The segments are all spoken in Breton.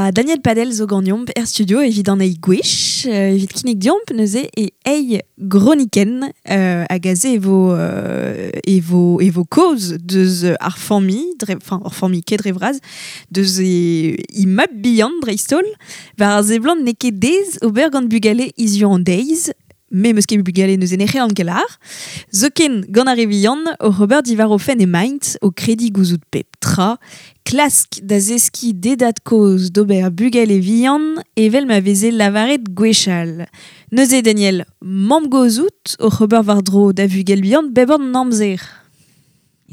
Ha Daniel Padel zo ganeomp er studio evit an eil gwech, evit kinnig deomp neuze e eil gronikenn hag aze e vo, e vo, e vo kaoz deus ar familh, dre, enfin ur familh ket dre vras, deus e, he mab bihan dreist-holl, war ar seblant n'eo ket aes ober gant bugale hiziv an deiz, Me 'meus ket bugale neuze ne c'hellan ket lâr. Zoken gant ar re vihan, oc'h ober diwar o fenn emaint, o krediñ gouzout pep tra, klask da zeskiñ d'e dad-kozh d'ober bugale vihan evel ma veze lavaret gwechall. Neuze Daniel, mamm-gozh out oc'h ober war-dro da vugel bihan bep an amzer.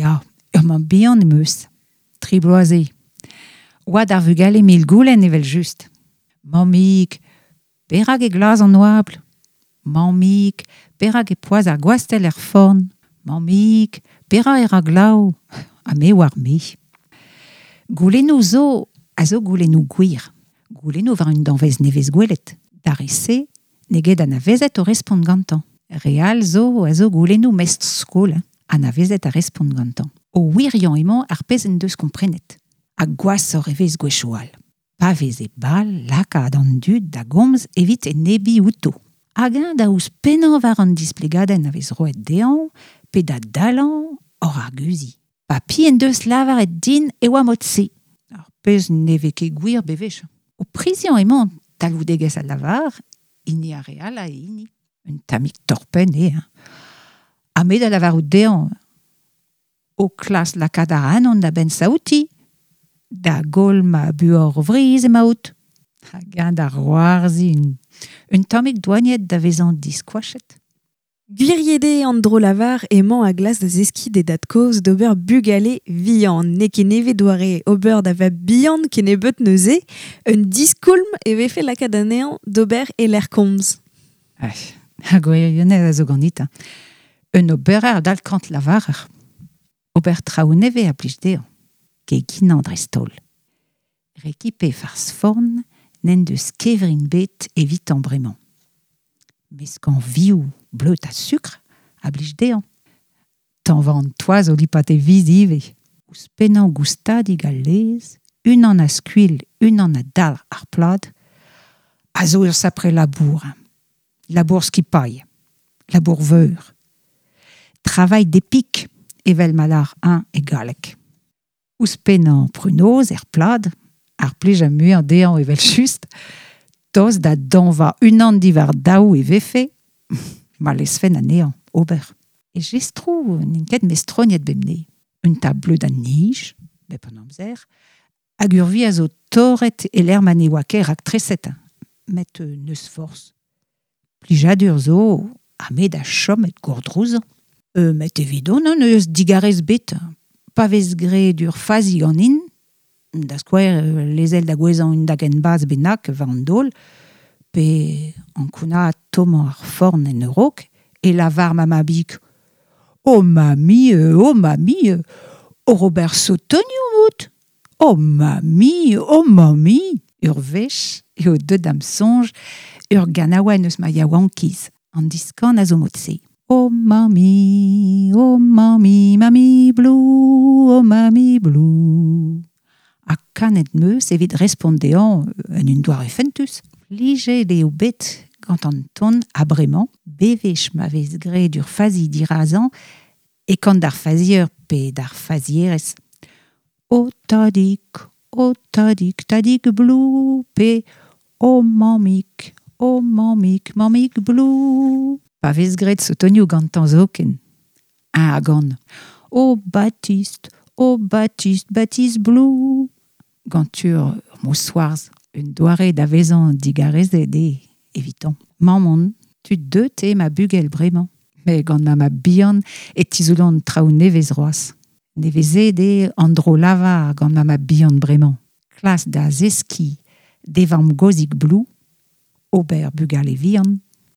Ya, ur mamm bihan em eus. Tri bloaz eo. Oad ar vugale mil goulenn evel-just. Mammig, Perak e glas an oabl? Mammig, perak e poazh ar gwastell er forn? Mammig, perak e ra glav? Ha me 'oar me. Goulennoù zo a zo goulennoù gwir. Goulennoù war un danvez nevez gwelet. D'ar re-se n'eo ket anavezet o respont gantañ. Re all zo a zo goulennoù mestr-skol anavezet ar respont gantañ. O wiriañ emañ ar pezh en deus komprenet. Ha gwashoc'h e vez gwechoù all. Pa vez e bal lakaat an dud da gomz evit enebiñ outo. Hag eñ da ouzhpennañ war an displegadenn a vez roet dezhañ pe da dalañ oc'h arguziñ. Papi en deus lavaret din e oa mod-se. Ar pezh ne vez ket gwir bewech. O priziañ emañ talvoudegezh al lavar, hini ar re all ha e hini. Un tammig torr-penn eo, hein. Ha me da lavarout dezhañ O klask lakaat ac'hanon da benn-saoutiñ, da goll ma buoc'h vrizh emaout. Hag eñ da c'hoarzhin, un tammig doaniet da vezañ diskoachet. Gwiriet eo an dro-lavar emañ a glask da zeskiñ d'e dad-kozh d'ober bugale vihan. N'eo ket nevez doare ober da vab-bihan kennebeut neuze. Un diskoulm e vefe lakaat anezhañ d'ober e-lec'h komz. Ar gwirionez a zo ganit. Hein. Un oberer a-dal kant lavarer. Ober traoù nevez a blij dezhañ, keginañ dreist-holl. Rekipe farz forn n'en deus kevrin bet evitañ bremañ. Meskañ vioù, bleud ha sukr a blij dezhañ. Tañva an toaz o lipat e viz ivez. Ouzhpennañ goustadik al laezh, unan a skuilh, unan a dalc'h ar plad, a zo ur sapre labour. Labour skipailh, labour veur. Travail d'épik, evel ma lâr eñ e galleg. Ouzhpennañ prunoz er plad, ar plij a muiañ dezhañ evel-just, tost da dañva unan diwar daou e vefe, ma lezfen anezhañ ober. E jestroù n'int ket mestroniet bemdez. Un tableud a nij, bep an amzer, hag ur vi a zo torret e-lec'h ma ne oa ket raktreset. Met n'eus forzh. Plijadur zo ha me da chom hep gourdrouzañ. Met evidon n'eus digarez bet. Pa vez graet ur fazi ganin, da skouer lezel da gouezhañ un dagenn bas bennak war an daol, pe ankounaat tommañ ar forn en a-raok, e lavar ma mabig Oh mamie, oh mamie, oc'h ober sotonioù out Oh mamie, oh mamie Ur wech eo deuet da'm soñj ur ganaouenn eus ma yaouankiz. An diskan a zo mod-se. Oh mamie, oh mamie, mamie blue, oh mamie blue. Ha kanet 'm eus evit respont dezhañ en un doare fentus. Plijet eo bet gant an ton ha bremañ, bewech ma vez graet ur fazi dirazañ e kan d'ar fazier pe d'ar fazierez. O tadig, o tadig, tadig blou, pe o mammig, o mammig, mammig blou. Pa vez graet sotonioù gantañ zoken. Eñ a gan O Baptiste, o Baptiste, Baptiste blou. Gant ur mousc'hoarzh, un doare da vezañ digarezet eo evitañ. Mamm on, tud deut eo ma bugel bremañ. Met gant ma mab-bihan e tizoulan traoù nevez c'hoazh. Nevezet eo an dro-lavar gant ma mab-bihan bremañ. Klas da zeskiñ d'e vamm-gozhig Blou ober bugale vihan.